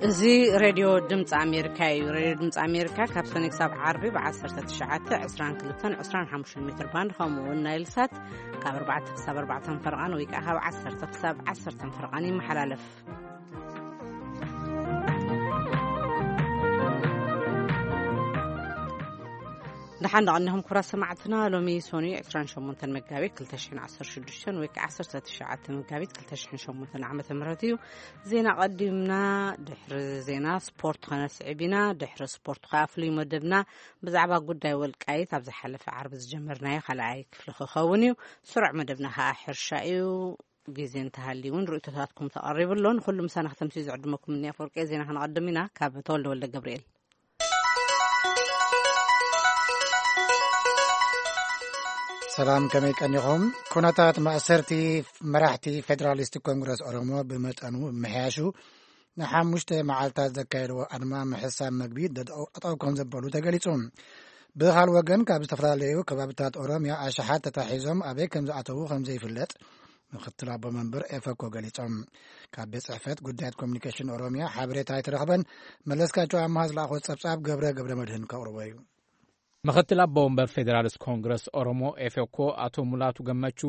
እዚ ሬድዮ ድምፂ ኣሜሪካ እዩ። ሬድዮ ድምፂ ኣሜሪካ ካብ ሰኔ ክሳብ ዓርቢ ብ19፣ 22፣ 25 ሜትር ባንድ፣ ከምኡ እውን ናይል ሳት ካብ ኣርባዕተ ክሳብ ኣርባዕተ ፈርቓን ወይ ከዓ ካብ ዓሰርተ ክሳብ ዓሰርተ ፈርቓን ይመሓላለፍ። ደሓን ደቐኒኹም ክቡራት ሰማዕትና። ሎሚ ሶኒ 28 መጋቢት 2016 ወይ ከዓ 19 መጋቢት 2008 ዓመተ ምህረት እዩ። ዜና ቀዲምና፣ ድሕሪ ዜና ስፖርት ከነስዕብ ኢና። ድሕሪ ስፖርት ከዓ ፍሉይ መደብና ብዛዕባ ጉዳይ ወልቃይት ኣብ ዝሓለፈ ዓርቢ ዝጀመርናዮ ካልኣይ ክፍሊ ክኸውን እዩ። ስሩዕ መደብና ከዓ ሕርሻ እዩ። ግዜ እንተሃልዩ እውን ርእይቶታትኩም ተቐሪቡ ኣሎ። ንኹሉ ምሳና ከተምስዩ ዝዕድመኩም እኒ ኣፈወርቂ። ዜና ከነቐድም ኢና። ካብ ተወልደ ወልደ ገብርኤል። ሰላም፣ ከመይ ቀኒኹም? ኩነታት ማእሰርቲ መራሕቲ ፌደራሊስት ኮንግረስ ኦሮሞ ብመጠኑ ምሕያሹ፣ ንሓሙሽተ መዓልታት ዘካየድዎ ኣድማ ምሕሳብ መግቢ ደጠው ከም ዘበሉ ተገሊጹ። ብኻል ወገን፣ ካብ ዝተፈላለዩ ከባብታት ኦሮሚያ ኣሽሓት ተታሒዞም ኣበይ ከም ዝኣተዉ ከም ዘይፍለጥ ምክትል ኣቦ መንበር ኤፈኮ ገሊጾም። ካብ ቤት ጽሕፈት ጉዳያት ኮሚኒኬሽን ኦሮሚያ ሓበሬታ ኣይተረኽበን። መለስካቸው ኣምሃ ዝለኣኾ ጸብጻብ ገብረ ገብረ መድህን ከቕርቦ እዩ። ምክትል ኣቦ ወንበር ፌዴራልስ ኮንግረስ ኦሮሞ ኤፌኮ ኣቶ ሙላቱ ገመቹ፣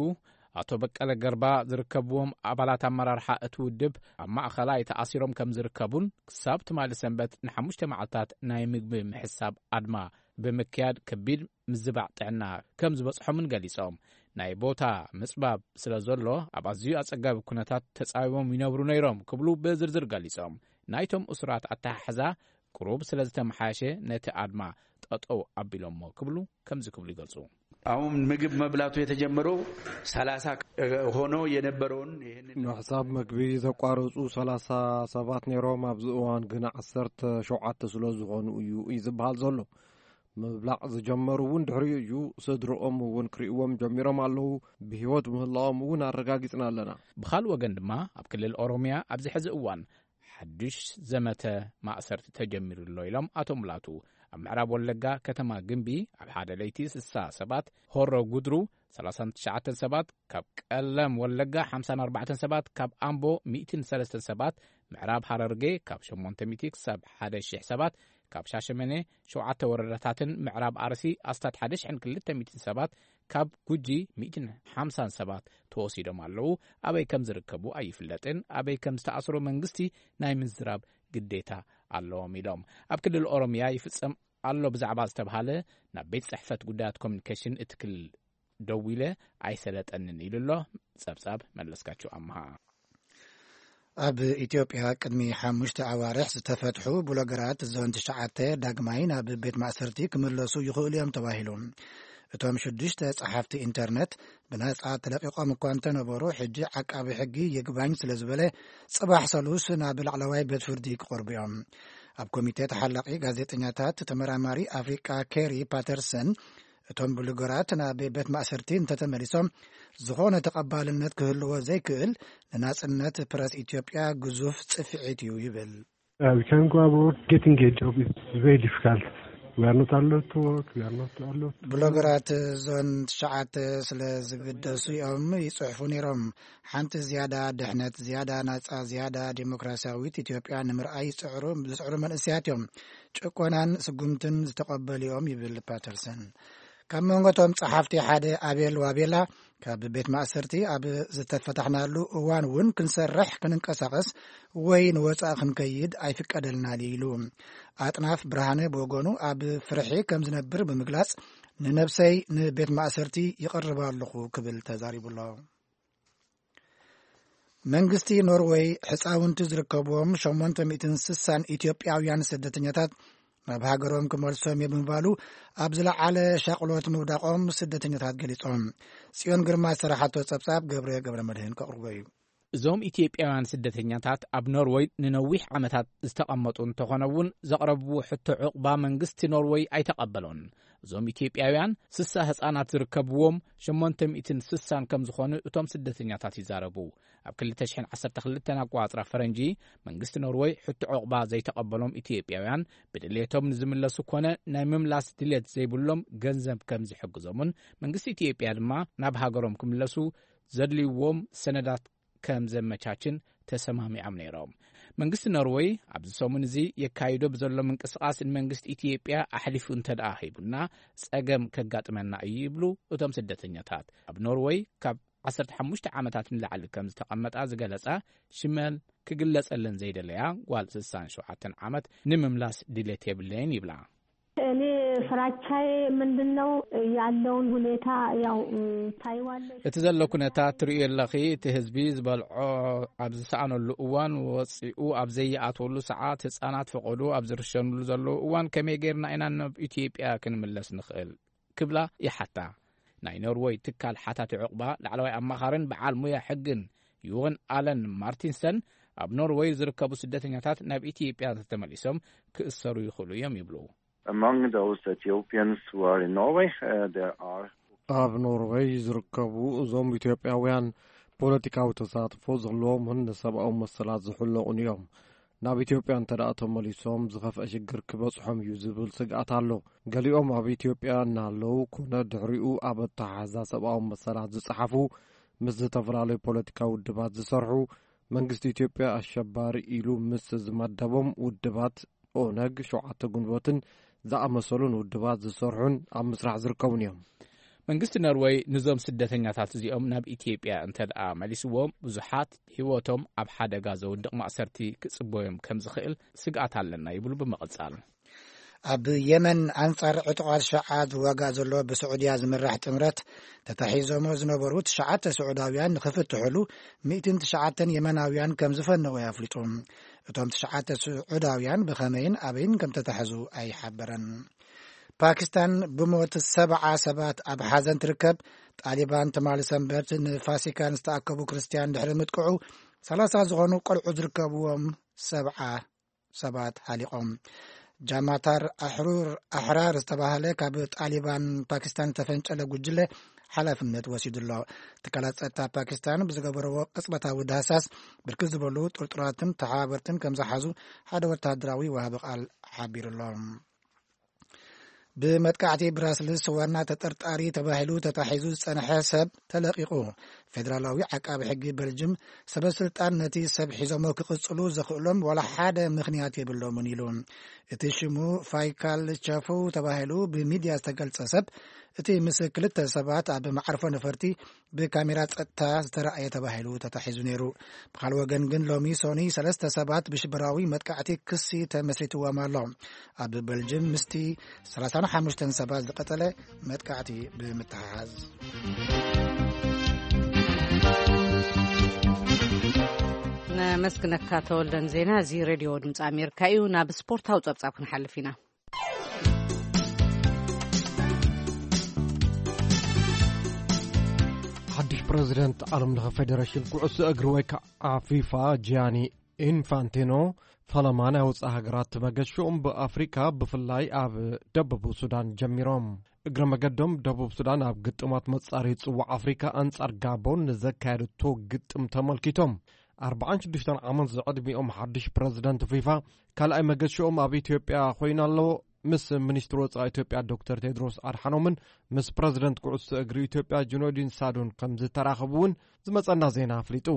ኣቶ በቀለ ገርባ ዝርከብዎም ኣባላት ኣመራርሓ እቲ ውድብ ኣብ ማእኸላይ ተኣሲሮም ከም ዝርከቡን ክሳብ ትማሊ ሰንበት ንሓሙሽተ መዓልታት ናይ ምግቢ ምሕሳብ ኣድማ ብምክያድ ከቢድ ምዝባዕ ጥዕና ከም ዝበጽሖምን ገሊጾም፣ ናይ ቦታ ምጽባብ ስለ ዘሎ ኣብ ኣዝዩ ኣጸጋቢ ኩነታት ተጻቢቦም ይነብሩ ነይሮም ክብሉ ብዝርዝር ገሊጾም፣ ናይቶም እሱራት ኣተሓሕዛ ቅሩብ ስለ ዝተመሓየሸ ነቲ ኣድማ ጠጠው ኣቢሎሞ ክብሉ ከምዚ ክብሉ ይገልጹ። አሁን ምግብ መብላቱ የተጀመረው 30 ሆኖ የነበረውን ይህንን ምሕሳብ መግቢ ዘቋረጹ 30 ሰባት ነይሮም። ኣብዚ እዋን ግን 17 ስለ ዝኾኑ እዩ እዩ ዝበሃል ዘሎ። ምብላዕ ዝጀመሩ እውን ድሕሪኡ እዩ። ስድርኦም እውን ክርእይዎም ጀሚሮም ኣለዉ። ብህይወት ምህላዎም እውን ኣረጋጊጽና ኣለና። ብኻልእ ወገን ድማ ኣብ ክልል ኦሮሚያ ኣብዚ ሕዚ እዋን ሓድሽ ዘመተ ማእሰርቲ ተጀሚሩ ኣሎ ኢሎም ኣቶ ሙላቱ። ኣብ ምዕራብ ወለጋ ከተማ ግምቢ ኣብ ሓደ ለይቲ 60 ሰባት፣ ሆሮ ጉድሩ 39 ሰባት፣ ካብ ቀለም ወለጋ 54 ሰባት፣ ካብ ኣምቦ 103 ሰባት፣ ምዕራብ ሃረርጌ ካብ 800 ክሳብ 1,000 ሰባት፣ ካብ ሻሸመኔ ሸውዓተ ወረዳታትን ምዕራብ ኣርሲ ኣስታት 1,200 ሰባት፣ ካብ ጉጂ 150 ሰባት ተወሲዶም ኣለዉ። ኣበይ ከም ዝርከቡ ኣይፍለጥን። ኣበይ ከም ዝተኣስሩ መንግስቲ ናይ ምዝራብ ግዴታ ኣለዎም ኢሎም። ኣብ ክልል ኦሮሚያ ይፍጸም ኣሎ ብዛዕባ ዝተብሃለ ናብ ቤት ጽሕፈት ጉዳያት ኮሚኒኬሽን እቲ ክልል ደዊለ ኣይሰለጠንን ኢሉ ኣሎ። ጸብጻብ መለስካቸው ኣምሃ። ኣብ ኢትዮጵያ ቅድሚ ሓሙሽተ ኣዋርሕ ዝተፈትሑ ብሎገራት ዞን ትሽዓተ ዳግማይ ናብ ቤት ማእሰርቲ ክምለሱ ይኽእሉ እዮም ተባሂሉ። እቶም ሽዱሽተ ጸሓፍቲ ኢንተርነት ብነጻ ተለቂቖም እኳ እንተነበሩ፣ ሕጂ ዓቃቢ ሕጊ ይግባኝ ስለ ዝበለ፣ ጽባሕ ሰሉስ ናብ ላዕለዋይ ቤት ፍርዲ ክቐርቡ እዮም። ኣብ ኮሚቴ ተሓላቒ ጋዜጠኛታት ተመራማሪ ኣፍሪቃ ኬሪ ፓተርሰን፣ እቶም ብሉገራት ናብ ቤት ማእሰርቲ እንተተመሊሶም፣ ዝኾነ ተቐባልነት ክህልዎ ዘይክእል፣ ንናጽነት ፕረስ ኢትዮጵያ ግዙፍ ጽፍዒት እዩ ይብል። Uh, we can go about getting a job. It's very difficult. We are not allowed to work. We are not allowed to. ብሎገራት ዞን ትሽዓተ ስለ ዝግደሱ እዮም ይጽሕፉ ነይሮም። ሓንቲ ዝያዳ ድሕነት፣ ዝያዳ ናጻ፣ ዝያዳ ዴሞክራሲያዊት ኢትዮጵያ ንምርኣይ ይጽዕሩ፣ ዝጽዕሩ መንእሰያት እዮም። ጭቆናን ስጉምትን ዝተቐበሉ እዮም ይብል ፓተርሰን። ካብ መንጎቶም ጸሓፍቲ ሓደ ኣቤል ዋቤላ፣ ካብ ቤት ማእሰርቲ ኣብ ዝተፈታሕናሉ እዋን እውን ክንሰርሕ፣ ክንንቀሳቐስ ወይ ንወጻኢ ክንከይድ ኣይፍቀደልናን ኢሉ። ኣጥናፍ ብርሃነ ብወገኑ ኣብ ፍርሒ ከም ዝነብር ብምግላጽ፣ ንነብሰይ ንቤት ማእሰርቲ ይቐርብ ኣለኹ ክብል ተዛሪቡ ኣሎ። መንግስቲ ኖርወይ ሕጻውንቲ ዝርከብዎም 860 ኢትዮጵያውያን ስደተኛታት ናብ ሃገሮም ክመልሶም እየ ብምባሉ፣ ኣብ ዝለዓለ ሻቕሎት ምውዳቖም ስደተኛታት ገሊጾም። ጽዮን ግርማ ዝሰራሓቶ ጸብጻብ ገብረ ገብረ መድህን ከቕርቦ እዩ። እዞም ኢትዮጵያውያን ስደተኛታት ኣብ ኖርወይ ንነዊሕ ዓመታት ዝተቐመጡ እንተኾነ እውን፣ ዘቕረብዎ ሕቶ ዕቑባ መንግስቲ ኖርወይ ኣይተቐበሎን። እዞም ኢትዮጵያውያን 60 ህጻናት ዝርከብዎም 860 ከም ዝኾኑ እቶም ስደተኛታት ይዛረቡ። ኣብ 2012 ኣቋጽራ ፈረንጂ፣ መንግስቲ ኖርወይ ሕቶ ዕቑባ ዘይተቐበሎም ኢትዮጵያውያን ብድሌቶም ንዝምለሱ ኮነ ናይ ምምላስ ድሌት ዘይብሎም ገንዘብ ከም ዝሕግዞምን መንግስቲ ኢትዮጵያ ድማ ናብ ሃገሮም ክምለሱ ዘድልይዎም ሰነዳት ከም ዘመቻችን ተሰማሚዖም ነይሮም። መንግስቲ ኖርወይ ኣብዚ ሰሙን እዚ የካይዶ ብዘሎ ምንቅስቓስ ንመንግስቲ ኢትዮጵያ ኣሕሊፉ እንተ ደኣ ሂቡና፣ ጸገም ከጋጥመና እዩ ይብሉ እቶም ስደተኛታት። ኣብ ኖርወይ ካብ ዓሰርተ ሓሙሽተ ዓመታት ንላዕሊ ከም ዝተቐመጣ ዝገለጻ ሽመል ክግለጸለን ዘይደለያ ጓል ስሳን ሸውዓተን ዓመት ንምምላስ ድሌት የብለይን ይብላ። እኔ ፍራቻዬ ምንድን ነው ያለውን ሁኔታ ያው ታይዋለሽ። እቲ ዘሎ ኩነታት ትርእዮ ኣለኺ። እቲ ህዝቢ ዝበልዖ ኣብ ዝሰኣነሉ እዋን ወፂኡ ኣብ ዘይኣትወሉ ሰዓት ህፃናት ፈቐዶ ኣብ ዝርሸኑሉ ዘለዉ እዋን ከመይ ጌርና ኢና ናብ ኢትዮጵያ ክንምለስ ንኽእል ክብላ ይሓታ። ናይ ኖርወይ ትካል ሓታቲ ዕቑባ ላዕለዋይ ኣማኻርን በዓል ሙያ ሕግን ዩወን ኣለን ማርቲንሰን ኣብ ኖርወይ ዝርከቡ ስደተኛታት ናብ ኢትዮጵያ እንተተመሊሶም ክእሰሩ ይኽእሉ እዮም ይብሉ። Among those Ethiopians who are in Norway, uh, there are ኣብ ኖርወይ ዝርከቡ እዞም ኢትዮጵያውያን ፖለቲካዊ ተሳትፎ ዘለዎምን ንሰብኣዊ መሰላት ዝሕለቑን እዮም። ናብ ኢትዮጵያ እንተ ደኣ ተመሊሶም ዝኸፍአ ሽግር ክበጽሖም እዩ ዝብል ስግኣት ኣሎ። ገሊኦም ኣብ ኢትዮጵያ እናሃለዉ ኮነ ድሕሪኡ ኣብ ኣተሓሕዛ ሰብኣዊ መሰላት ዝጸሓፉ፣ ምስ ዝተፈላለዩ ፖለቲካዊ ውድባት ዝሰርሑ፣ መንግስቲ ኢትዮጵያ ኣሸባሪ ኢሉ ምስ ዝመደቦም ውድባት ኦነግ፣ ሸውዓተ ግንቦትን ዝኣመሰሉን ውድባት ዝሰርሑን ኣብ ምስራሕ ዝርከቡን እዮም። መንግስቲ ኖርወይ ንዞም ስደተኛታት እዚኦም ናብ ኢትዮጵያ እንተ ደኣ መሊስዎም ብዙሓት ህይወቶም ኣብ ሓደጋ ዘውድቕ ማእሰርቲ ክጽበዮም ከም ዝኽእል ስግኣት ኣለና ይብሉ ብምቕጻል። ኣብ የመን ኣንጻር ዕጡቓት ሸዓት ዝዋጋእ ዘሎ ብስዑድያ ዝምራሕ ጥምረት ተታሒዞሞ ዝነበሩ ትሽዓተ ስዑዳውያን ንኽፍትሑሉ ሚእትን ትሽዓተን የመናውያን ከም ዝፈነዉ ኣፍሊጡ። እቶም ትሽዓተ ስዑዳውያን ብኸመይን ኣበይን ከም ተታሕዙ ኣይሓበረን። ፓኪስታን ብሞት ሰብዓ ሰባት ኣብ ሓዘን ትርከብ። ጣሊባን ትማሊ ሰንበት ንፋሲካ ንዝተኣከቡ ክርስትያን ድሕሪ ምጥቅዑ ሰላሳ ዝኾኑ ቆልዑ ዝርከብዎም ሰብዓ ሰባት ሃሊቖም። ጃማታር ኣሕሩር ኣሕራር ዝተባህለ ካብ ጣሊባን ፓኪስታን ዝተፈንጨለ ጉጅለ ሓላፍነት ወሲዱ ኣሎ። ትካላት ጸጥታ ፓኪስታን ብዝገበረዎ ቅጽበታዊ ዳህሳስ ብርክት ዝበሉ ጥርጡራትን ተሓባበርትን ከም ዝሓዙ ሓደ ወታደራዊ ወሃቢ ቃል ሓቢሩ ኣሎ። ብመጥቃዕቲ ብራስልስ ዋና ተጠርጣሪ ተባሂሉ ተታሒዙ ዝጸንሐ ሰብ ተለቒቑ። ፌደራላዊ ዓቃቢ ሕጊ በልጅም ሰበ ስልጣን ነቲ ሰብ ሒዞሞ ክቕጽሉ ዘኽእሎም ዋላ ሓደ ምኽንያት የብሎምን ኢሉ። እቲ ሽሙ ፋይካል ቸፉ ተባሂሉ ብሚድያ ዝተገልጸ ሰብ እቲ ምስ ክልተ ሰባት ኣብ መዓርፎ ነፈርቲ ብካሜራ ጸጥታ ዝተራእየ ተባሂሉ ተታሒዙ ነይሩ። ብኻልእ ወገን ግን ሎሚ ሶኒ ሰለስተ ሰባት ብሽበራዊ መጥቃዕቲ ክሲ ተመስሪትዎም ኣሎ። ኣብ በልጅም ምስቲ ሰላሳን ሓሙሽተን ሰባት ዝቐጸለ መጥቃዕቲ ብምትሓሓዝ። ነመስግነካ ተወልደን ዜና። እዚ ሬድዮ ድምፂ ኣሜሪካ እዩ። ናብ ስፖርታዊ ፀብፃብ ክንሓልፍ ኢና። ሓድሽ ፕረዚደንት ዓለም ለኸ ፌደሬሽን ኩዕሶ እግሪ ወይ ከዓ ፊፋ ጂያኒ ኢንፋንቲኖ ፈለማ ናይ ወፃኢ ሃገራት መገሽኦም ብኣፍሪካ ብፍላይ ኣብ ደቡብ ሱዳን ጀሚሮም። እግረ መገዶም ደቡብ ሱዳን ኣብ ግጥማት መፃሪ ፅዋዕ ኣፍሪካ ኣንፃር ጋቦን ንዘካየደቶ ግጥም ተመልኪቶም ኣርባዓን ሽዱሽተን ዓመት ዝዕድሚኦም ሓድሽ ፕረዚደንት ፊፋ ካልኣይ መገሽኦም ኣብ ኢትዮጵያ ኮይኑ ኣሎ። ምስ ሚኒስትር ወፃኢ ኢትዮጵያ ዶክተር ቴድሮስ ኣድሓኖምን ምስ ፕረዚደንት ኩዕሶ እግሪ ኢትዮጵያ ጁነዲን ሳዱን ከም ዝተራኸቡ እውን ዝመፀና ዜና ኣፍሊጡ።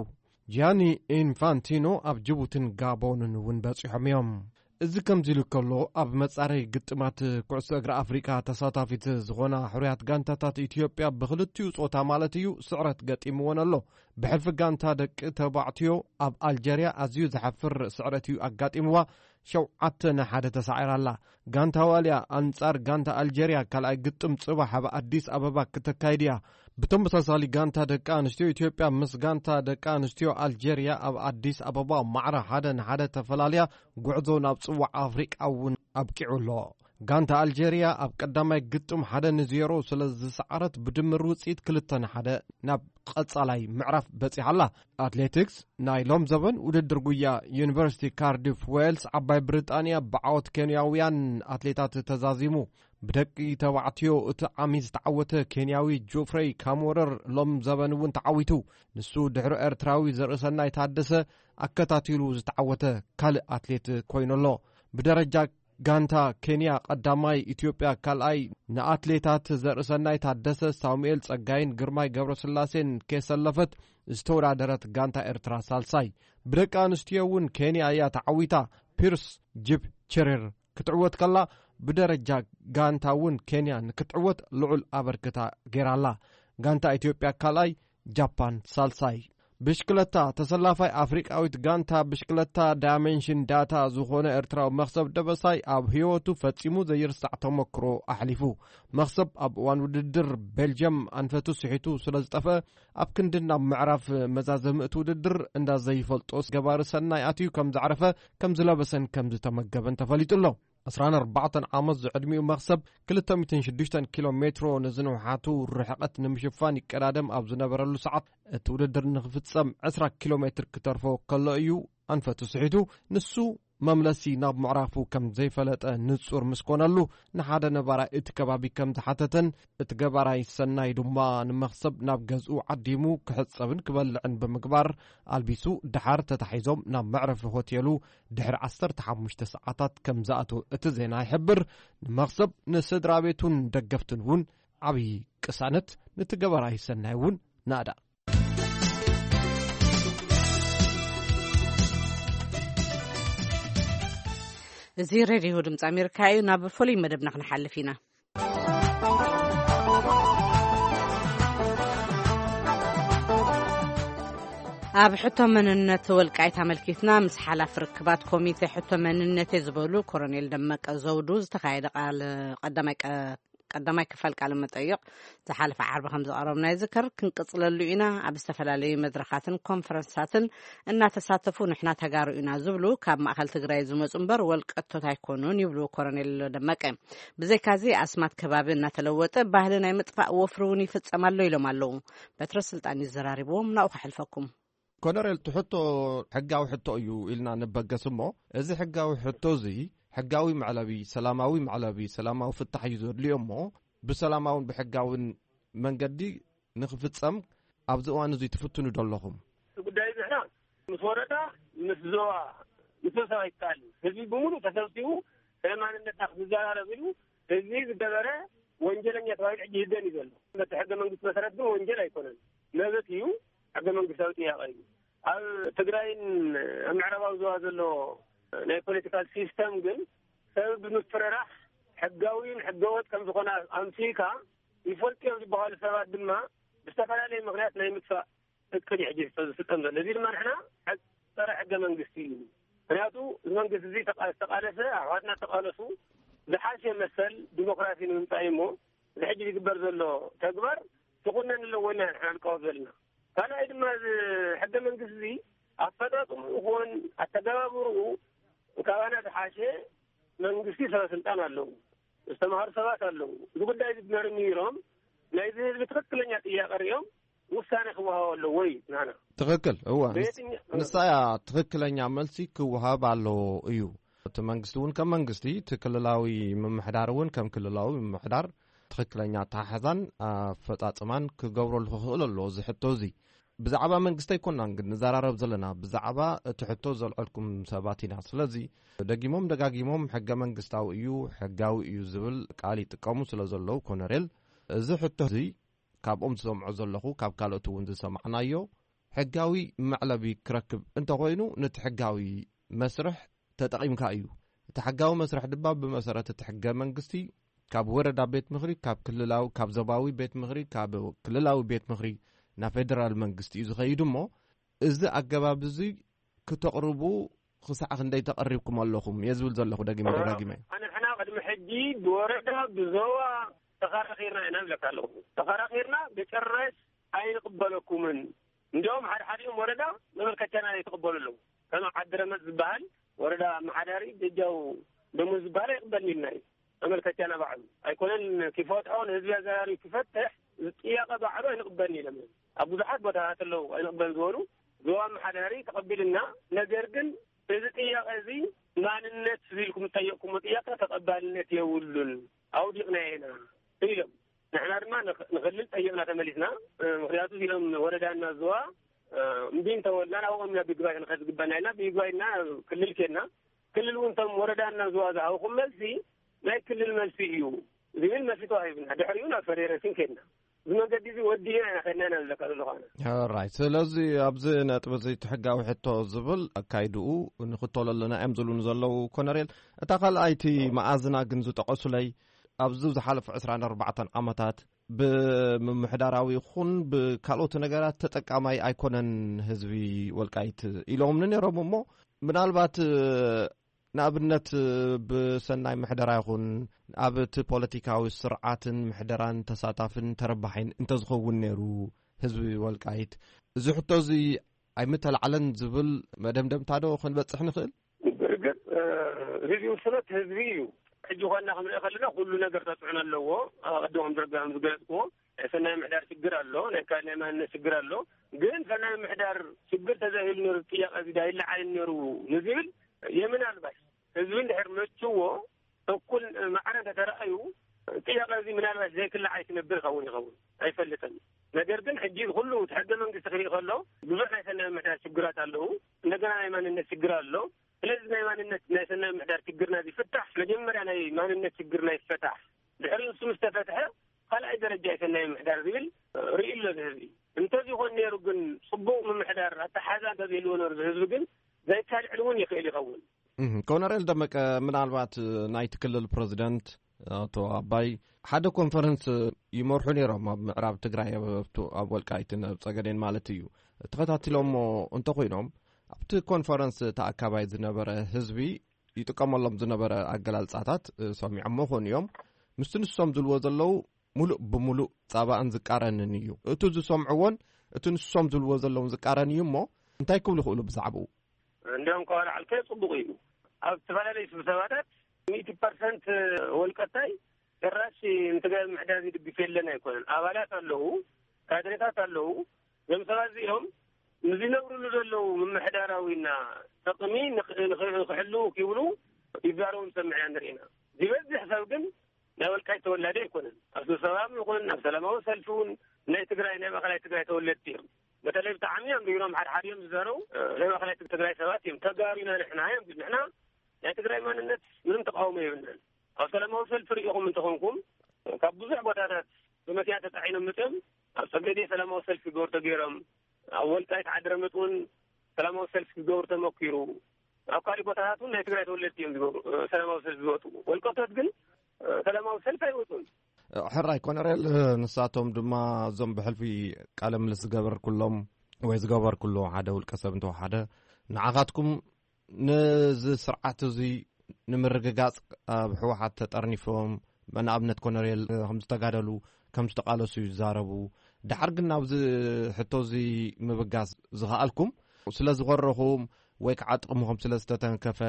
ጂያኒ ኢንፋንቲኖ ኣብ ጅቡትን ጋቦንን እውን በፂሖም እዮም። እዚ ከምዚ ኢሉ ከሎ ኣብ መፃረይ ግጥማት ኩዕሶ እግሪ ኣፍሪቃ ተሳታፊት ዝኾና ሕሩያት ጋንታታት ኢትዮጵያ ብክልቲኡ ፆታ ማለት እዩ ስዕረት ገጢምወን ኣሎ። ብሕልፊ ጋንታ ደቂ ተባዕትዮ ኣብ ኣልጀርያ ኣዝዩ ዘሕፍር ስዕረት እዩ ኣጋጢምዋ። ሸውዓተ ንሓደ ተሳዒራ ኣላ። ጋንታ ዋልያ ኣንጻር ጋንታ ኣልጀርያ ካልኣይ ግጥም ጽባሕ ኣብ ኣዲስ ኣበባ ክተካይድ እያ። ብተመሳሳሊ ጋንታ ደቂ ኣንስትዮ ኢትዮጵያ ምስ ጋንታ ደቂ ኣንስትዮ ኣልጀርያ ኣብ ኣዲስ ኣበባ ማዕረ ሓደ ንሓደ ተፈላልያ ጉዕዞ ናብ ጽዋዕ ኣፍሪቃ እውን ኣብቂዑ ኣሎ። ጋንታ ኣልጀርያ ኣብ ቀዳማይ ግጥም ሓደ ንዜሮ ስለ ዝሰዓረት ብድምር ውፅኢት ክልተ ንሓደ ናብ ቀጻላይ ምዕራፍ በጺሓ ኣላ። ኣትሌቲክስ ናይ ሎም ዘበን ውድድር ጉያ ዩኒቨርሲቲ ካርዲፍ ዌልስ ዓባይ ብሪጣንያ ብዓወት ኬንያውያን ኣትሌታት ተዛዚሙ። ብደቂ ተባዕትዮ እቲ ዓሚ ዝተዓወተ ኬንያዊ ጆፍሬይ ካሞረር ሎም ዘበን እውን ተዓዊቱ። ንሱ ድሕሪ ኤርትራዊ ዘርእሰናይ ታደሰ ኣከታቲሉ ዝተዓወተ ካልእ ኣትሌት ኮይኑ ኣሎ። ብደረጃ ጋንታ ኬንያ ቀዳማይ፣ ኢትዮጵያ ካልኣይ፣ ንኣትሌታት ዘርእሰናይ ታደሰ፣ ሳሙኤል ጸጋይን ግርማይ ገብረስላሴን ከየሰለፈት ዝተወዳደረት ጋንታ ኤርትራ ሳልሳይ። ብደቂ ኣንስትዮ እውን ኬንያ እያ ተዓዊታ። ፒርስ ጂፕ ቸሪር ክትዕወት ከላ፣ ብደረጃ ጋንታ እውን ኬንያ ንክትዕወት ልዑል ኣበርክታ ገይራላ። ጋንታ ኢትዮጵያ ካልኣይ፣ ጃፓን ሳልሳይ። ብሽክለታ፣ ተሰላፋይ ኣፍሪቃዊት ጋንታ ብሽክለታ ዳይመንሽን ዳታ ዝኾነ ኤርትራዊ መኽሰብ ደበሳይ ኣብ ህይወቱ ፈጺሙ ዘይርሳዕ ተመክሮ ኣሕሊፉ። መኽሰብ ኣብ እዋን ውድድር ቤልጅየም ኣንፈቱ ስሒቱ ስለ ዝጠፍአ፣ ኣብ ክንዲ ናብ ምዕራፍ መዛዘሚ እቲ ውድድር እንዳ ዘይፈልጦ ገባሪ ሰናይ ኣትዩ ከም ዘዕረፈ፣ ከም ዝለበሰን ከም ዝተመገበን ተፈሊጡ ኣሎ። ዕስራን ኣርባዕተን ዓመት ዝዕድሚኡ መኽሰብ ክልተ ሚእትን ሽዱሽተን ኪሎ ሜትሮ ንዝንውሓቱ ርሕቐት ንምሽፋን ይቀዳደም ኣብ ዝነበረሉ ሰዓት፣ እቲ ውድድር ንኽፍጸም ዕስራ ኪሎ ሜትር ክተርፎ ከሎ እዩ ኣንፈቱ ስሒቱ። ንሱ መምለሲ ናብ ምዕራፉ ከም ዘይፈለጠ ንጹር ምስ ኮነሉ፣ ንሓደ ነባራይ እቲ ከባቢ ከም ዝሓተተን እቲ ገባራይ ሰናይ ድማ ንመኽሰብ ናብ ገዝኡ ዓዲሙ ክሕጸብን ክበልዕን ብምግባር ኣልቢሱ፣ ደሓር ተታሒዞም ናብ መዕረፊ ሆቴሉ ድሕሪ ዓሰርተ ሓሙሽተ ሰዓታት ከም ዝኣተወ እቲ ዜና ይሕብር። ንመኽሰብ፣ ንስድራ ቤቱን ደገፍቱን እውን ዓብዪ ቅሳነት፣ ነቲ ገባራይ ሰናይ እውን ናእዳ። እዚ ሬድዮ ድምፂ ኣሜሪካ እዩ። ናብ ፍሉይ መደብና ክንሓልፍ ኢና። ኣብ ሕቶ መንነት ወልቃይት ኣመልኪትና ምስ ሓላፊ ርክባት ኮሚቴ ሕቶ መንነቴ ዝበሉ ኮሎኔል ደመቀ ዘውዱ ዝተኻየደ ቃል ቀዳማይ ቀ-፣ ቀዳማይ ክፋል ቃለ መጠይቕ ዝሓለፈ ዓርቢ ከም ዘቕረብና ይዝከር። ክንቅጽለሉ ኢና። ኣብ ዝተፈላለዩ መድረኻትን ኮንፈረንሳትን እናተሳተፉ ንሕና ተጋሩ ኢና ዝብሉ ካብ ማእከል ትግራይ ዝመጹ እምበር ወልቀቶት ኣይኮኑን ይብሉ ኮሎኔል ደመቀ። ብዘይካዚ ኣስማት ከባቢ እናተለወጠ ባህሊ ናይ ምጥፋእ ወፍሪ እውን ይፍጸም ኣሎ ኢሎም ኣለዉ። በትረ ስልጣን እዩ ዘራሪብዎም፣ ናብኡ ከሕልፈኩም። ኮሎኔል፣ እቲ ሕቶ ሕጋዊ ሕቶ እዩ ኢልና ንበገስ እሞ፣ እዚ ሕጋዊ ሕቶ እዚ ሕጋዊ መዕለቢ፣ ሰላማዊ መዕለቢ፣ ሰላማዊ ፍታሕ እዩ ዘድልዮ እሞ፣ ብሰላማውን ብሕጋውን መንገዲ ንኽፍጸም ኣብዚ እዋን እዚ ትፍትኑ ዶ ኣለኹም? እቲ ጉዳይ እዚ ንሕና ምስ ወረዳ፣ ምስ ዞባ፣ ምስ ሰብ ኣይከኣልን። ህዝቢ ብምሉእ ተሰብሲቡ ስለ ማንነትና ክዝዘራረብ ኢሉ ህዝቢ ዝገበረ ወንጀለኛ ተባሂሉ ሕጂ ይህደን እዩ ዘሎ። በቲ ሕገ መንግስቲ መሰረት ግን ወንጀል ኣይኮነን። መብት እዩ፣ ሕገ መንግስታዊ ጥያቄ እዩ። ኣብ ትግራይን ኣብ ምዕራባዊ ዞባ ዘሎ ናይ ፖለቲካል ሲስተም ግን ሰብ ብምፍርራሕ ሕጋዊን ሕገወጥ ከም ዝኾነ ኣምሲልካ ይፈልጡ እዮም ዝበሃሉ ሰባት ድማ ብዝተፈላለየ ምኽንያት ናይ ምጥፋእ እቅድ እዩ ሕጂ ዝፍጸም ዘሎ። እዚ ድማ ንሕና ሕግ-፣ ጸረ ሕገ መንግስቲ እዩ። ምኽንያቱ እዚ መንግስቲ እዚ ተቃ-፣ ዝተቃለሰ፣ ኣሕዋትና ዝተቃለሱ ዝሓሸ መሰል ዲሞክራሲ ንምምጻእ እዩ እሞ፣ እዚ ሕጂ ዝግበር ዘሎ ተግባር ክኹነን ኣለዎ ኢልና ንሕና ንቃወም ዘለና። ካልኣይ ድማ እዚ ሕገ መንግስቲ እዚ ኣፈጻጽምኡ ይኹን ኣተገባብርኡ ካባና ዝሓሸ መንግስቲ ሰበ ስልጣን ኣለዉ፣ ዝተማሃሩ ሰባት ኣለዉ። እዚ ጉዳይ እዚ መርሚሮም ናይዚ ህዝቢ ትኽክለኛ ጥያቄ ሪኦም ውሳኔ ክወሃቦ ኣለዎ እዩ ናና። ትኽክል፣ እወ። ንስ-፣ በየትኛ-፣ ንሳ እያ ትኽክለኛ መልሲ ክወሃብ ኣለዎ እዩ። እቲ መንግስቲ እውን ከም መንግስቲ፣ እቲ ክልላዊ ምምሕዳር እውን ከም ክልላዊ ምምሕዳር ትኽክለኛ ኣተሓሕዛን ኣፈጻጽማን ክገብረሉ ክኽእል ኣለዎ እዚ ሕቶ እዚ። ብዛዕባ መንግስቲ ኣይኮናን ግን ንዘራረብ ዘለና፣ ብዛዕባ እቲ ሕቶ ዘልዐልኩም ሰባት ኢና። ስለዚ ደጊሞም ደጋጊሞም ሕገ መንግስታዊ እዩ፣ ሕጋዊ እዩ ዝብል ቃል ይጥቀሙ ስለ ዘለዉ፣ ኮነሬል፣ እዚ ሕቶ እዚ ካብኦም ዝሰምዖ ዘለኹ፣ ካብ ካልኦት እውን ዝሰማዕናዮ፣ ሕጋዊ መዕለቢ ክረክብ እንተኾይኑ፣ ነቲ ሕጋዊ መስርሕ ተጠቒምካ እዩ። እቲ ሕጋዊ መስርሕ ድማ ብመሰረት እቲ ሕገ መንግስቲ ካብ ወረዳ ቤት ምኽሪ፣ ካብ ክልላዊ፣ ካብ ዞባዊ ቤት ምኽሪ፣ ካብ ክልላዊ ቤት ምኽሪ ናብ ፌደራል መንግስቲ እዩ ዝኸይድ እሞ፣ እዚ ኣገባብ እዚ ክተቕርቡ ክሳዕ ክንደይ ተቐሪብኩም ኣለኹም እየ ዝብል ዘለኹ ደጊመ ደጋጊመ። ኣነ ንሕና ቅድሚ ሕጂ ብወረዳ ብዞባ ተኸራኺርና ኢና ንብለካ ኣለኹ። ተኸራኺርና ብጭራሽ ኣይንቕበለኩምን። እንዲያውም ሓደ ሓዲኦም ወረዳ መመልከቻና ይተቐበሉ ኣለዉ። ከም ዓዲ ረመፅ ዝበሃል ወረዳ ኣመሓዳሪ በጃው ደሞዝ ዝበሃል ኣይቕበልን ኢልና እዩ። መመልከቻና ባዕሉ ኣይኮነን ክፈትሖ፣ ንህዝቢ ኣዘራሪቡ ክፈትሕ፣ እዚ ጥያቄ ባዕሉ ኣይንቕበልን ኢሎም እዮም። ኣብ ብዙሓት ቦታታት ኣለዉ ኣይንቕበልን ዝበሉ ዞባ ኣመሓዳሪ ተቐቢልና፣ ነገር ግን እዚ ጥያቄ እዚ ማንነት ዝብል ኢልኩም ዝጠየቕኩሞ ጥያቄ ተቐባልነት የብሉን፣ ኣውዲቕናዮ ኢና ኢሎም። ንሕና ድማ ንኽ-፣ ንኽልል ጠይቕና ተመሊስና። እ፣ ምኽንያቱ እዚኦም ወረዳና ዝዋ፣ እ፣ እምቢ እንተበልና ናብኦም ኢና ብይግባይ ክንኸድ ዝግባና ኢልና ብይግባይ ኢልና ክልል ኬድና። ክልል እውን እቶም ወረዳ እናዘዋዛሃውኩም መልሲ ናይ ክልል መልሲ እዩ ዝብል መልሲ ተዋሂብና። ድሕሪኡ ናብ ፈደረሽን ከድና። እዚ መንገዲ እዚ ወዲና ኢና ከድና ኢና ንብለካ ዘለኹ ኣነ። ኦራይት። ስለዚ ኣብዚ ነጥቢ እዚ እቲ ሕጋዊ ሕቶ ዝብል ኣካይድኡ ንኽተሎ ኣለና እዮም ዝብሉኒ ዘለዉ ኮነሬል። እታ ካልኣይቲ መኣዝና ግን ዝጠቐሱለይ ኣብዚ ዝሓለፉ ዕስራን ኣርባዕተን ዓመታት ብምምሕዳራዊ ይኹን ብካልኦት ነገራት ተጠቃማይ ኣይኮነን ህዝቢ ወልቃይት ኢሎምኒ ነይሮም። እሞ ምናልባት ንኣብነት ብሰናይ ምሕደራ ይኹን ኣብ እቲ ፖለቲካዊ ስርዓትን ምሕደራን ተሳታፍን ተረባሒን እንተዝኸውን ነይሩ ህዝቢ ወልቃይት እዚ ሕቶ እዚ ኣይምተላዕለን ዝብል መደምደምታ ዶ ክንበጽሕ ንኽእል? ብርግጽ፣ እ፣ እዚ ውስነት ህዝቢ እዩ። ሕጂ ኾና ክንሪኦ ከለና ኩሉ ነገር ተጽዕኖ ኣለዎ። ኣብ ቅድም ከም ዝረጋ-፣ ከም ዝገለጽክዎ፣ ናይ ሰናይ ምሕዳር ሽግር ኣሎ፣ ናይ ካልእ ናይ ማንነት ሽግር ኣሎ። ግን ሰናይ ምሕዳር ሽግር ተዘይህሉ ነይሩ፣ ጥያቄ እዚ ዳይለዓልን ነይሩ ንዝብል፣ የምናልባሽ ህዝቢ እንድሕር መችዎ፣ እኩል ማዕረ እንተተረኣዩ፣ ጥያቄ እዚ ምናልባሽ ዘይክላዕ ኣይትነብር ይኸውን ይኸውን፣ ኣይፈልጥን። ነገር ግን ሕጂ ኩሉ እቲ ሕገ መንግስቲ ክርኢ ከሎ፣ ብዙሕ ናይ ሰናይ ምሕዳር ሽግራት ኣለዉ። እንደገና ናይ ማንነት ሽግር ኣሎ። ስለዚ ናይ ማንነት፣ ናይ ሰናይ ምሕዳር ሽግርና ዝፍታሕ፣ መጀመርያ ናይ ማንነት ሽግርና ይፈታሕ። ድሕሪ ንሱ ምስ ተፈትሐ፣ ካልኣይ ደረጃ ናይ ሰናይ ምሕዳር ዝብል ርኢ ኣሎ እዚ ህዝቢ። እንተዚኾን ነይሩ ግን፣ ጽቡቕ ምምሕዳር ኣተሓዛ እንተዘይልዎ ነይሩ፣ እዚ ህዝቢ ግን ዘይካልዕል እውን ይኽእል ይኸውን። እህ፣ ኮነሬል ደመቀ፣ ምናልባት ናይቲ ክልል ፕረዚደንት ኣቶ ኣባይ ሓደ ኮንፈረንስ ይመርሑ ነይሮም፣ ኣብ ምዕራብ ትግራይ፣ ኣብ፣ ኣብ ወልቃይትን ኣብ ጸገዴን ማለት እዩ። ተኸታቲሎሞ እንተኾይኖም፣ ኣብቲ ኮንፈረንስ ተኣካባይ ዝነበረ ህዝቢ ይጥቀመሎም ዝነበረ ኣገላልጻታት፣ እ፣ ሰሚዖሞ ኾን እዮም። ምስቲ ንሶም ዝብልዎ ዘለዉ፣ ሙሉእ ብሙሉእ ጻባእን ዝቃረንን እዩ። እቲ ዝሰምዕዎን እቲ ንሶም ዝብልዎ ዘለውን ዝቃረን እዩ። እሞ እንታይ ክብሉ ይኽእሉ ብዛዕባኡ? እንዲያውም፣ ከዋላ ዓልከ ጽቡቕ እዩ። ኣብ ዝተፈላለዩ ስብሰባታት ሚእቲ ፐርሰንት ወልቀታይ ጭራሽ ንትግራይ ምሕዳር ዝድግፍ የለን ኣይኮነን። ኣባላት ኣለዉ፣ ካድሬታት ኣለዉ። እዞም ሰባት እዚኦም ንዝነብርሉ ዘለዉ ምምሕዳራዊና ጥቕሚ ንኽ-፣ ንኽ-፣ ንኽሕልዉ ክብሉ ይዛረቡ ንሰምዕ ኢና ንርኢ ኢና። ዝበዝሕ ሰብ ግን ናይ ወልቃይት ተወላዲ ኣይኮነን። ኣብ ስብሰባ ይኹን ኣብ ሰላማዊ ሰልፊ እውን ናይ ትግራይ፣ ናይ ማእኸላይ ትግራይ ተወለድቲ እዮም። በተለይ ብጣዕሚ እዮም ርኢኖም ሓድሓድ እዮም ዝዛረቡ። እ፣ ናይ ማእኸላይ ትግራይ ሰባት እዮም። ተጋሩ ኢና ንሕና እዮም። ንሕና ናይ ትግራይ ማንነት ምንም ተቃውሞ የብልናን። ኣብ ሰላማዊ ሰልፊ ርኢኹም እንተኾንኩም፣ ካብ ብዙሕ ቦታታት ብመኪና ተጻዒኖም መፅዮም ኣብ ጸገዴ ሰላማዊ ሰልፊ ክገብሩ ተገይሮም፣ ኣብ ወልቃይት ዓዲ ረመጥ እውን ሰላማዊ ሰልፊ ክገብሩ ተመኪሩ። ኣብ ካልእ ቦታታት እውን ናይ ትግራይ ተወለድቲ እዮም ዝገብሩ፣ እ፣ ሰላማዊ ሰልፊ ዝወጡ። ወልቀቶት ግን፣ እ፣ ሰላማዊ ሰልፊ ኣይወፁን። ሕራይ ኮነሬል፣ ንሳቶም ድማ እዞም ብሕልፊ ቃለ ምልስ ዝገበርኩሎም ወይ ዝገበርኩሎ ሓደ ውልቀ ሰብ እንተወሓደ ንዓኻትኩም ነዚ ስርዓት እዚ ንምርግጋጽ ኣብ ህወሓት ተጠርኒፎም፣ ንኣብነት ኮነሬል ከም ዝተጋደሉ፣ ከም ዝተቓለሱ ይዛረቡ። ደሓር ግን ናብዚ ሕቶ እዚ ምብጋስ ዝኸኣልኩም ስለ ዝኾረኹም ወይ ከዓ ጥቕምኹም ስለ ዝተተንከፈ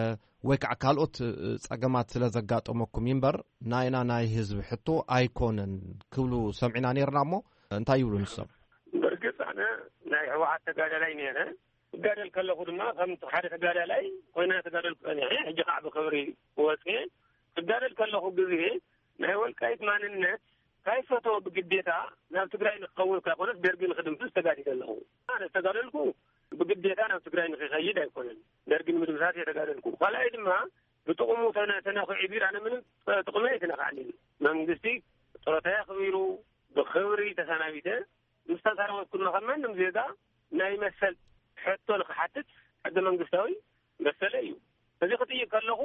ወይ ከዓ ካልኦት ጸገማት ስለ ዘጋጠመኩም እዩ እምበር ናይና ናይ ህዝቢ ሕቶ ኣይኮነን ክብሉ ሰሚዕና ነይርና። እሞ እንታይ ይብሉ ንሶም? ብርግጽ ኣነ ናይ ህወሓት ተጋዳላይ ነይረ። እጋደል ከለኹ ድማ ከም ሓደ ተጋዳላይ ኮይነ ተጋደልኩ ጸኒሐ። ሕጂ ከዓ ብኽብሪ ወፅየ። እጋደል ከለኹ ግዜ ናይ ወልቃይት ማንነት ካይፈተወ ብግዴታ ናብ ትግራይ ንክኸውን እኳ ይኮነስ ደርጊ ንክድምስስ ተጋዲደ ኣለኹ። ኣነ ዝተጋደልኩ ብግዴታ ናብ ትግራይ ንክኸይድ ኣይኮነን፣ ደርጊ ንምድምሳስ እየ ተጋደልኩ። ካልኣይ ድማ ብጥቕሙ ተነ-፣ ተነኺዑ ቢር ኣነ ምንም ጥቕሚ ኣይተነካዕንን። መንግስቲ ጥሮታ ኣኽቢሩ ብኽብሪ ተሰናቢተ ምስ ተሰናበትኩ ድማ ከም ማንም ዜጋ ናይ መሰል ሕቶ ንክሓትት ሕገ መንግስታዊ መሰለ እዩ። እዚ ክጥይቅ ከለኹ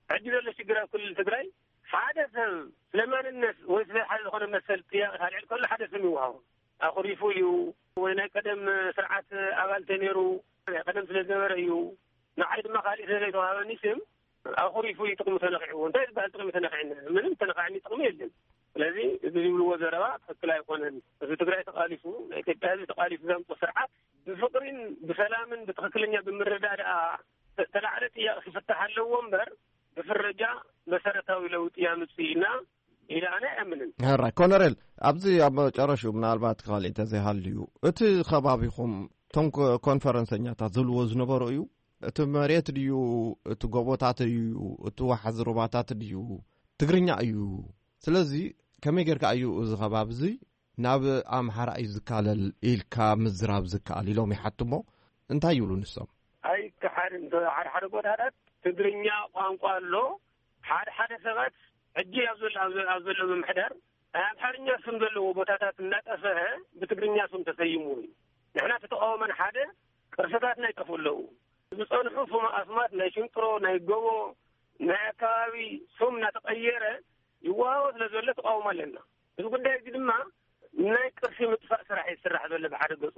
ሕጂ ዘሎ ሽግር ኣብ ክልል ትግራይ ሓደ ሰብ ስለ ማንነት ወይ ስለ ሓደ ዝኾነ መሰል ጥያቄ ካልዕል ከሎ ሓደ ስም ይወሃቦ። ኣኹሪፉ እዩ ወይ ናይ ቀደም ስርዓት ኣባል ተነይሩ ናይ ቀደም ስለ ዝነበረ እዩ። ንዓይ ድማ ካሊእ ስለ ዘይተዋሃበኒ ስም ኣኹሪፉ እዩ ጥቕሚ ተነኺዕዎ። እንታይ ዝበሃል ጥቕሚ ተነኺዕኒ? ምንም ተነኻዕኒ ጥቕሚ የለን። ስለዚ እዚ ዝብልዎ ዘረባ ትኽክል ኣይኮነን። እዚ ትግራይ ተቓሊሱ፣ ናይ ኢትዮጵያ ህዝቢ ተቓሊሱ ዘምፅኦ ስርዓት ብፍቕሪን ብሰላምን ብትኽክለኛ ብምርዳዳኣ ተ-፣ ተላዕለ ጥያቄ ክፍታሕ ኣለዎ እምበር ብፍረጃ መሰረታዊ ለውጢ ያምፅእ ኢልና ኢለ ኣነ ኣይኣምንን። ሕራይ ኮነሬል፣ ኣብዚ ኣብ መጨረሽኡ ምናልባት ካልእ እንተዘይሃልዩ እቲ ከባቢኹም እቶም ኮ-፣ ኮንፈረንሰኛታት ዝብልዎ ዝነበሩ እዩ። እቲ መሬት ድዩ፣ እቲ ጎቦታት እዩ፣ እቲ ዋሕዚ ሩባታት ድዩ፣ ትግርኛ እዩ። ስለዚ ከመይ ጌርካ እዩ እዚ ከባቢ እዚ ናብ ኣምሓራ እዩ ዝካለል ኢልካ ምዝራብ ዝከኣል ኢሎም ይሓትሞ። እንታይ ይብሉ ንሶም? ኣይከሓድን። ሓደ ሓደ ቦታታት ትግርኛ ቋንቋ ኣሎ። ሓደ ሓደ ሰባት ሕጂ ኣብ ዘሎ ኣብ ዘሎ ኣብ ዘሎ ምምሕዳር ናይ ኣምሓርኛ ስም ዘለዎ ቦታታት እናጠፍአ ብትግርኛ ስም ተሰይሙ እዩ። ንሕና ተተቃወመን ሓደ ቅርስታትና ይጠፍኡ ኣለዉ። ዝጸንሑ ስም ኣስማት ናይ ሽንጥሮ ናይ ጎቦ ናይ ኣካባቢ ስም እናተቐየረ ይወሃቦ ስለ ዘሎ ተቃውሞ ኣለና። እዚ ጉዳይ እዚ ድማ ናይ ቅርሲ ምጥፋእ ስራሕ ይስራሕ ዘሎ ብሓደ ገጹ።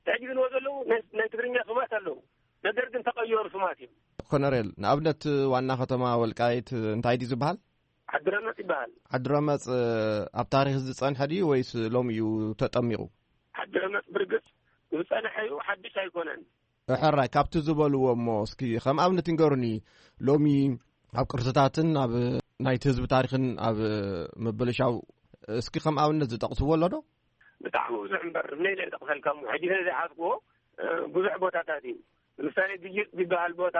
ሕጂ ዝንዎ ዘለዉ ናይ ናይ ትግርኛ ስማት ኣለዉ፣ ነገር ግን ተቐየሩ ስማት እዮም። ኮነሬል፣ ንኣብነት ዋና ከተማ ወልቃይት እንታይ ድዩ ዝበሃል? ዓድረመጽ ይበሃል። ዓድረመጽ ኣብ ታሪኽ ዝጸንሐ ድዩ ወይስ ሎሚ እዩ ተጠሚቑ? ዓድረመጽ ብርግጽ ዝጸንሐ እዩ፣ ሓድሽ ኣይኮነን። ሕራይ ካብቲ ዝበልዎ እሞ እስኪ ከም ኣብነት ንገሩኒ። ሎሚ ኣብ ቅርስታትን ኣብ ናይቲ ህዝቢ ታሪኽን ኣብ ምብልሻው እስኪ ከም ኣብነት ዝጠቕስዎ ኣሎ ዶ? ብጣዕሚ ብዙሕ እምበር፣ ነይ ዘይጠቕሰልካ እሞ ሕጂ ነይ ዘይሓዝክዎ ብዙሕ ቦታታት እዩ። ንምሳሌ ግይጥ ዝበሃል ቦታ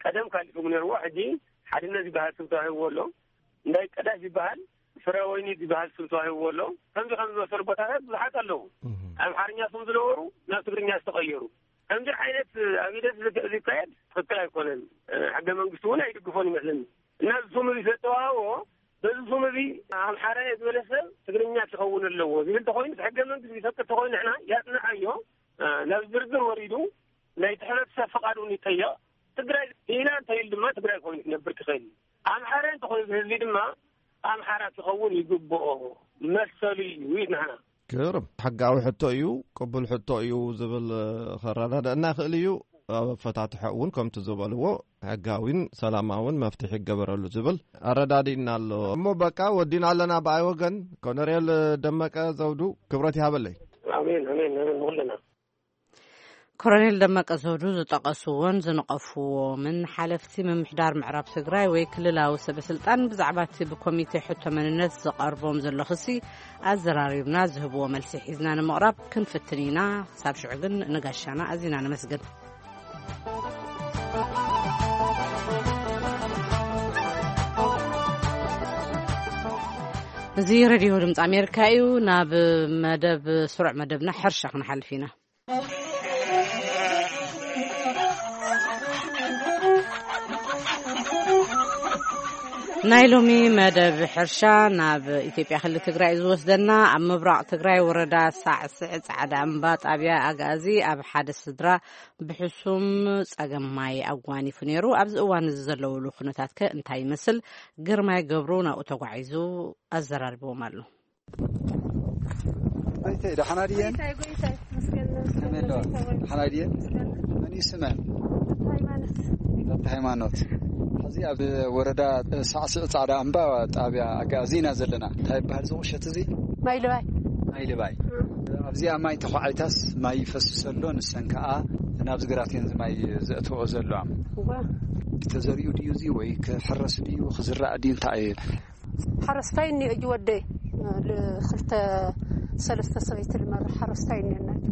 ቀደም ካሊእ ስሙ ነይርዎ፣ ሕጂ ሓድነት ዝበሃል ስም ተዋሂብዎ ኣሎ። እንዳይ ቀዳሽ ዝበሃል ፍረ ወይኒ ዝበሃል ስም ተዋሂብዎ ኣሎ። ከምዚ ከም ዝመሰሉ ቦታታት ብዙሓት ኣለዉ። ኣምሓርኛ ስም ዝነበሩ ናብ ትግርኛ ዝተቐየሩ። ከምዚ ዓይነት ኣብ ሂደት ዝካየድ ትኽክል ኣይኮነን። ሕገ መንግስቲ እውን ኣይድግፎን ይመስለኒ። እና እዚ ስም እዚ ዝተዋህቦ በዚ ስም እዚ ኣምሓራ እየ ዝበለ ሰብ ትግርኛ ክኸውን ኣለዎ ዝብል ተኮይኑ፣ ሕገ መንግስቲ ዝፈቅድ ተኮይኑ ንሕና ያጽንዓዮ። ናብ ዝርዝር ወሪዱ ናይቲ ሕብረተሰብ ፍቓድ እውን ይጠየቕ። ትግራይ ኢና እንተይል ድማ ትግራይ ኮይኑ ክነብር ክኽእል። ኣምሓራ እንተኾይኑ ህዝቢ ድማ ኣምሓራ ክኸውን ይግብኦ፣ መሰሉ እዩ ይብል ንሕና። ግርም ሕጋዊ ሕቶ እዩ፣ ቅቡል ሕቶ እዩ ዝብል ከረዳድአና ይኽእል እዩ። ኣብ ኣፈታትሖ እውን ከምቲ ዝበልዎ ሕጋዊን ሰላማውን መፍትሒ ይገበረሉ ዝብል ኣረዳዲእና ኣሎ። እሞ በቃ ወዲና ኣለና ብኣይ ወገን። ኮነሬል ደመቀ ዘውዱ ክብረት ይሃበለይ። ኣሜን ኣሜን ኣሜን ንኹልና። ኮሎኔል ደመቀ ዘውዱ ዝጠቐስዎን ዝነቐፍዎምን ሓለፍቲ ምምሕዳር ምዕራብ ትግራይ ወይ ክልላዊ ሰበ ስልጣን ብዛዕባ እቲ ብኮሚቴ ሕቶ መንነት ዝቐርቦም ዘሎ ክሲ ኣዘራሪብና ዝህብዎ መልሲ ሒዝና ንምቕራብ ክንፍትን ኢና። ክሳብ ሽዑ ግን ንጋሻና ኣዚና ነመስግን። እዚ ሬድዮ ድምፂ ኣሜሪካ እዩ። ናብ መደብ ስሩዕ መደብና ሕርሻ ክንሓልፍ ኢና። ናይ ሎሚ መደብ ሕርሻ ናብ ኢትዮጵያ ክልል ትግራይ እዩ ዝወስደና። ኣብ ምብራቕ ትግራይ ወረዳ ሳዕስዕ ጻዕዳ እምባ ጣብያ ኣጋዚ ኣብ ሓደ ስድራ ብሕሱም ጸገም ማይ ኣጓኒፉ ነይሩ። ኣብዚ እዋን እዚ ዘለውሉ ኩነታት ከ እንታይ ይመስል? ግርማይ ገብሩ ናብኡ ተጓዒዙ ኣዘራርብዎም ኣሎ። ጎይታይ ደሓና ድየን? ጎይታይ፣ ጎይታይ፣ መስገን፣ መስገን፣ ከመይ ኣለዋ? ጎይታይ፣ ጎይታይ። ደሓና ድየን? መስገን። መን እዩ ስመን? ሃይማኖት። ሃይማኖት። ሕዚ ኣብ ወረዳ ሳዕስዕ ጻዕዳ እምባ ጣብያ ኣጋዚ ኢና ዘለና። እንታይ ይበሃል እዚ ቁሸት እዚ? ማይ ልባይ። ማይ ልባይ። እም። ኣብዚኣ ማይ ተዃዒታስ ማይ ይፈስስ ኣሎ፣ ንሰን ከኣ ናብዚ ግራት እየን እዚ ማይ ዘእትዎ ዘለዋ። እዋ። ተዘሪኡ ድዩ እዚ ወይ ክሕረስ ድዩ ክዝራእ ድዩ እንታይ እዩ? ሓረስታይ እኒኦ እዩ ወደይ፣ ል-፣ ክልተ ሰለስተ ሰበይቲ ልመርሕ ሓረስታይ እኒአና እዩ።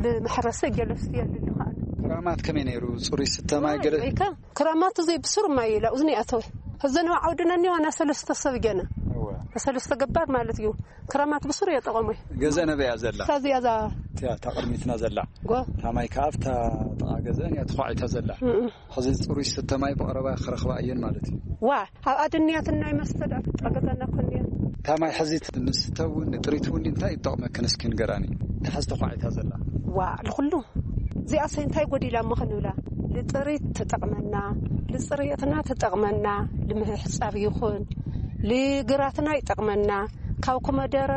ልመሕረሰ ገለስቲ የልሉ ከኣነ። ክራማት ከመይ ነይሩ? ጽሩይ ስተ ማይ ገለ? ወይከ ክራማት እዙይ ብሱር ማይ ኢላ እዝኒ ኣተወ። እዘን ዓውድና እኒኦ ዋና ሰለስተ ሰብ ገና። እወ። ሰለስተ ገባር ማለት እዩ። ክራማት ብሱር የጠቐሙ። ገዛ ነበያ ዘላ? እዛ እዚኣ እዛ። እቲያ እታ ቅድሚትና ዘላ? ጎ። እታ ማይ ከኣ ኣብታ ጥቓ ገዛን እያ ተዃዒታ ዘላ። እም። ሕዚ ጽሩይ ስተ ማይ ብቐረባ ክረኽባ እየን ማለት እዩ። ዋ፣ ኣብ ኣድንያትና ይመስል ኣብ ጥቓ ገዛና እኮ እንድያ። እታ ማይ ሕዚ ንስተ እውን ንጥሪት እውን እንታይ ይጠቕመክን እስኪ ንገራኒ። እታ ሕዚ ተዃዒታ ዘላ። ዋ፣ ንኹሉ። እዚኣሰ እንታይ ጎዲላ እሞ ክንብላ? ንጥሪት ትጠቕመና፣ ንጽሬትና ትጠቕመና፣ ንምሕጻብ ይኹን፣ ንግራትና ይጠቕመና። ካብ ኮመደረ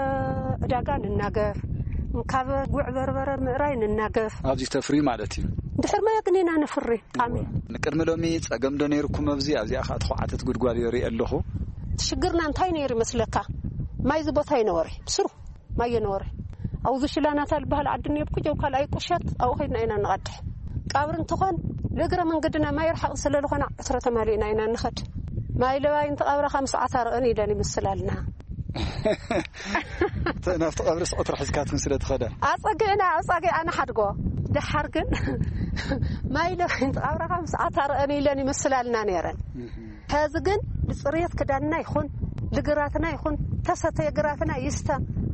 ዕዳጋ ንናገፍ፣ ካብ ጉዕ በርበረ ምእራይ ንናገፍ። ኣብዚ ተፍሪ ማለት እዩ። ድሕር ማይ ግን ኢና ነፍሪ፣ ጣሚ። ንቅድሚ ሎሚ ጸገም ዶ ነይርኩም ኣብዚ? ኣብዚኣ ኸኣ ተዃዓተት ጉድጓድ ይርኢ ኣለኹ። ሽግርና እንታይ ነይሩ ይመስለካ? ማይ እዚ ቦታ ይነበረ፣ ብስሩ ማይ ይነበረ። ኣብዚ ሽላናታ ዝበሃል ዓዲ እኒኦ፣ ብኩጀው ካልኣይ ቁሸት ኣብኡ ኸይድና ኢና ንቐድሕ። ቀብሪ እንትኾን፣ ንእግረ መንገድና ማይ ርሓቕ ስለ ዝኾነ፣ ዕትሮ ተማሊእና ኢና ንኸድ። ማይ ለባይ እንተቐብረኻ ምስ ዓታርቕን ኢለን ይምስላልና። ተ-፣ ናብቲ ቀብሪ ስቕትሪ ሒዝካትክን ስለ ትኸዳ። ኣጸግዕና፣ ኣጻጊ ኣነ ሓድጎ። ደሓር ግን ማይ ለባይ እንተቐብረኻ ምስ ዓታርቕን ኢለን ይምስላልና ነይረን። እህ። ሕዚ ግን ንጽሬት ክዳንና ይኹን፣ ንግራትና ይኹን፣ ተሰተየ ግራትና ይስተ፣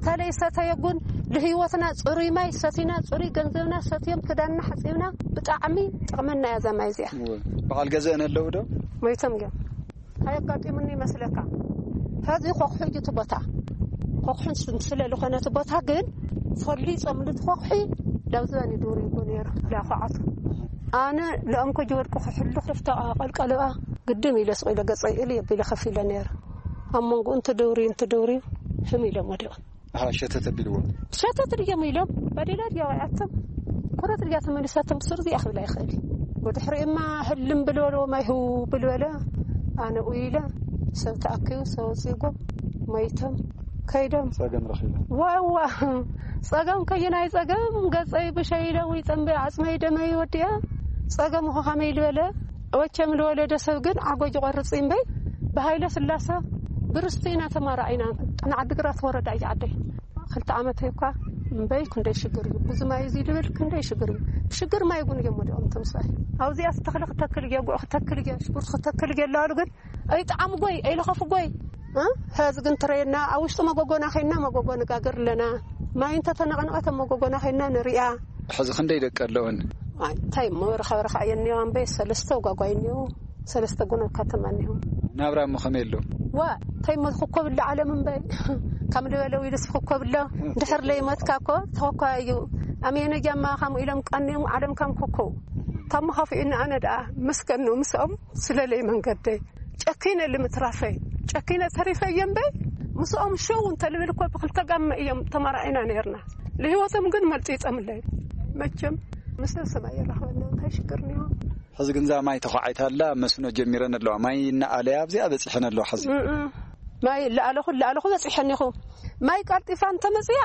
ተለይሰተየ ጉን ንህይወትና ጽሩይ ማይ ሰቲና፣ ጽሩይ ገንዘብና ሰትዮም ክዳንና ሓጺብና፣ ብጣዕሚ ጥቕመና እያ እዛ ማይ እዚኣ። እወ። በዓል ገዘአን ኣለዉ ዶ? ሞይቶም እዮም። ኣየጋጢሙኒ ይመስለካ። ሕዚ ኮኽሑ እዩ እቲ ቦታ። ኮኽሑ ስ-፣ ስለ ዝኾነ እቲ ቦታ ግን ፈሊጾም ነቲ ኮኽሒ ናብ ዝበኒ ድውርይዎ ነይሩ። ላኳዓቱ ኣነ ለእንኮ ጅወድቁ ክሕሉ ክፍታ ቀልቀልባ ግድም ኢለ ስቕ ኢለ ገጸይ እልይ ኣቢለ ከፊለ ነይሩ። ኣብ መንጎ እንተ ደውርዩ እንተ ደውርዩ ሕም ኢሎም ወዲቖም። ኣሃ፣ ሸተት ኣቢልዎ። ሸተት ድዮም ኢሎም፣ ባዴላ ድያ ወይኣቶም፣ ኩረት ድያ ተመሊሳቶም፣ ብስሩ እዚኣ ክብል ኣይኽእል እዩ። ወድሕሪኡማ ህልም ብልበልዎ፣ ማይ ህው ብልበለ፣ ኣነ ኡይለ፣ ሰብ ተኣኪቡ፣ ሰብ ወፂእጎም፣ መይቶም፣ ከይዶም። ጸገም ረኺቦም። ዋዋ፣ ጸገም ከየናይ ጸገም፣ ገጸይ ብሸይለ፣ ወይ ጸንበ፣ ዓጽመይ ደመይ ወዲኣ፣ ጸገም ኸ ከመይ ልበለ፣ ወቸም ልወለደ ሰብ ግን ዓጎጅ ቆርጽ እምበይ፣ ብሃይለ ስላሰ ብርስቲ ኢና ተማራዒና። ንዓዲግራት ወረዳ እዩ ዓደይ። ክልተ ዓመት እኳ እምበይ ክንደይ ሽግር እዩ። እዚ ማይ እዚ ልብል ክንደይ ሽግር እዩ። ሽግር ማይ እውን እዮም ወዲኦም ተምሳይ። ኣብዚኣ ተኽሊ ክተክል እየ፣ ጉዕ ክተክል እየ፣ ሽጉርቲ ክተክል እየ ኣለዋሉ ግን ኣይጠዓምጎይ፣ ኣይለኸፍጎይ። እ? ሕዚ ግን ትረየና፣ ኣብ ውሽጢ መጎጎና ኸይና መጎጎ ንጋገር ኣለና። ማይ እንተተነቐነቐት ኣብ መጎጎና ኸይና ንሪኣ። ሕዚ ክንደይ ደቂ ኣለውን? ኣይ፣ እንታይ እሞ፣ ርኸ-፣ ርኸ እየ እኒኦ እምበይ፣ ሰለስተ ወጓጓይ እኒኦ፣ ሰለስተ ጎኖ ከተማ እኒኦ። ናብራ እሞ ከመይ ኣሎ? ዋ፣ እንታይ እሞ፣ ክኮብላ ዓለም እምበይ፣ ከም ዝበለ ዊልስ ክኮብሎ፣ ድሕር ለይሞትካ እኮ ተኸኳ እዩ። ኣሜነ ጃማ፣ ከምኡ ኢሎም ቀንዮም፣ ዓለም ከም ኮኮው። ታሞ ኻፊኡኒ፣ ኣነ ደኣ መስገን ነው፣ ምስኦም ስለለይ መንገደይ። ጨኪነ ልምትራፈይ፣ ጨኪነ ተሪፈ እየ እምበይ፣ ምስኦም ሸው እንተልብል እኮ ብክልተ ጋመ እዮም ተመራዒና ነይርና። ለህይወቶም ግን መልጢጦምለይ። መቸም ምስለ ሰማይ የራኽበና፣ እንታይ ሽግር እኒኦ? ሕዚ ግን እዛ ማይ ተዃዒታ ኣላ፣ መስኖ ጀሚረን ኣለዋ። ማይ እናኣለያ ኣብዚኣ በጺሐን ኣለዋ ሕዚ። እም፣ እም። ማይ ለኣለኹ፣ ለኣለኹ በጺሐን ኢኹ። ማይ ቀልጢፋ እንተመጽያ፣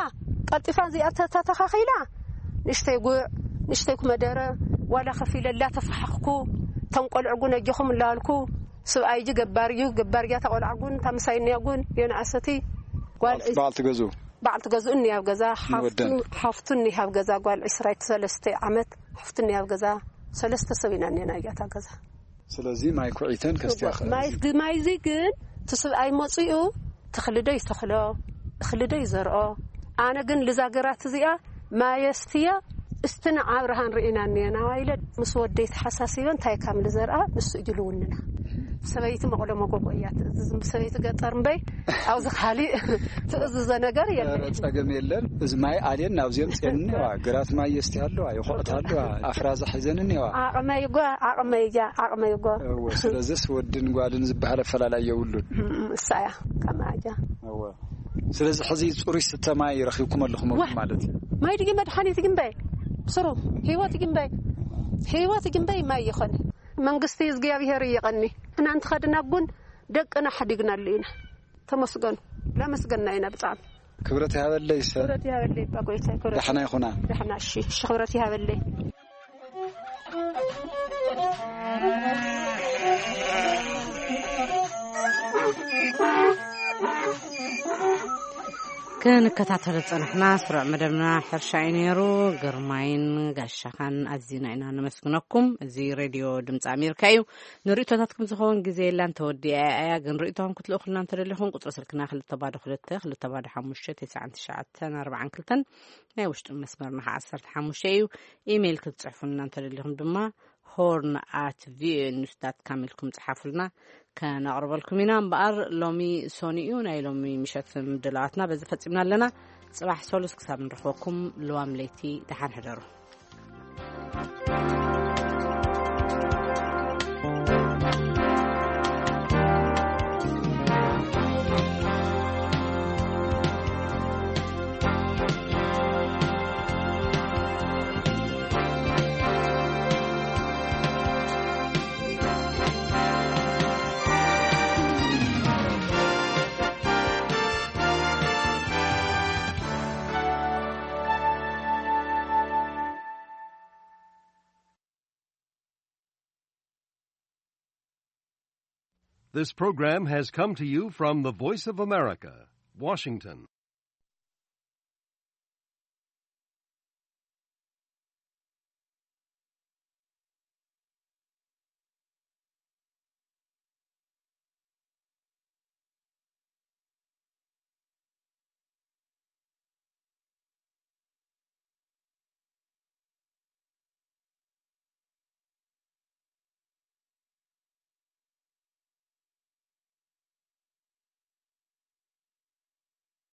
ቀልጢፋ እዚኣ ተተተኻኺላ፣ ንእሽተይ ጉዕ፣ ንእሽተይ ኩመደረ፣ ዋላ ከፊለ ላተፋሓኽኩ፣ እቶም ቆልዑ ጉን ኣጆኹም እናበልኩ፣ ስብኣይ እጂ ገባር እዩ፣ ገባር እያ፣ እታ ቆልዓ ጉን፣ እታ ምሳይ እኒኣ ጉን፣ የንኣሰቲ፣ ጓል በዓልቲ፣ በዓልቲ ገዝኡ? በዓልቲ ገዝኡ እኒኣ ኣብ ገዛ፣ ሓፍቱ፣ ንወደን? ሓፍቱ እኒኣ ኣብ ገዛ፣ ጓል ዕስራ ሰለስተ ዓመት፣ ሓፍቱ እኒኣ ኣብ ገዛ፣ ሰለስተ ሰብ ኢና እኒና እያ እታ ገዛ። ስለዚ ማይ ኩዒተን ከስትያ ኸ-፣ ማይ እዚ ግ-፣ ማይ እዚ ግን እቲ ስብኣይ መፂኡ ተኽሊ ዶ ይተኽሎ፣ እኽሊ ዶ ይዘርኦ። ኣነ ግን ልዛ ግራት እዚኣ ማየስትየ እስቲ ንዓ ብርሃን ርኢና እኒአና ኢለ ምስ ወደይ ተሓሳሲበ እንታይ ካም ልዘርኣ ንሱ እዩ ልውንና። ሰበይቲ መቕሎ መጎጎ እያ ትእዝዝ፣ ሰበይቲ ገጠር እምበይ ኣብዚ ካሊእ ትእዝዞ ነገር የለን። ኧረ ጸገም የለን። እዚ ማይ ኣልየን ናብዚኦም ጸንዋ። ግራት ማይ የስቲ ኣለዋ፣ ይኾዕት ኣለዋ፣ ኣፍራዛ ሒዘን እኒዋ። ዓቕመይ ጓ፣ ዓቕመይ እያ፣ ዓቕመይ ጓ። እወ፣ ስለዚስ ወድን ጓልን ዝበሃል ኣፈላላይ የብሉን። እም፣ እሳ እያ፣ ከማጃ። እወ። ስለዚ ሕዚ ጽሩይ ስተ ማይ ረኺብኩም ኣለኹም ዋ! ማለት እዩ። ማይ ድዩ መድሓኒት ግንበይ? ስሩ፣ ህይወት ግንበይ። ህይወት ግንበይ ማይ ይኾን። መንግስቲ እግዚኣብሔር ይቐኒ። እና እንትኸድና ጉን ደቅና ሓዲግናሉ ኢና። ተመስገኑ። ላመስገና ኢና ብጣዕሚ። ክብረት ይሃበለይ ሰ-፣ ክብረት ይሃበለይ እባ ጎይታይ፣ ክብረት ዳሕና ይኹና። ዳሕና፣ እሺ፣ እሺ፣ ክብረት ይሃበለይ። ክንከታተሎ ዝጸናሕና ስሩዕ መደብና ሕርሻ እዩ ነይሩ። ግርማይን ጋሻኻን ኣዚና ኢና ነመስግነኩም። እዚ ሬድዮ ድምፂ ኣሜሪካ እዩ። ንርእቶታትኩም ዝኸውን ግዜ የላን፣ ተወዲኣ እያ። ግን ርእቶኹም ክትልእኹልና እንተደሊኹም ቁጽሪ ስልክና ክልተ ባዶ ክልተ፣ ክልተ ባዶ ሓሙሽተ፣ ተስዓን ትሽዓተን ኣርባዓን ክልተን፣ ናይ ውሽጢ መስመርና ኸዓ ዓሰርተ ሓሙሽተ እዩ። ኢሜይል ክትጽሕፉልና እንተደሊኹም ድማ ሆርን ኣት ቪኦኤ ኒውስ ዳት ካም ኢልኩም ጽሓፉልና፣ ከነቕርበልኩም ኢና። እምበኣር ሎሚ ሶኒ እዩ፣ ናይ ሎሚ ምሸት ምድላዋትና በዚ ፈጺምና ኣለና። ጽባሕ ሰሉስ ክሳብ ንረኽበኩም፣ ልዋም ለይቲ ደሓን ሕደሩ። This program has come to you from the Voice of America, Washington.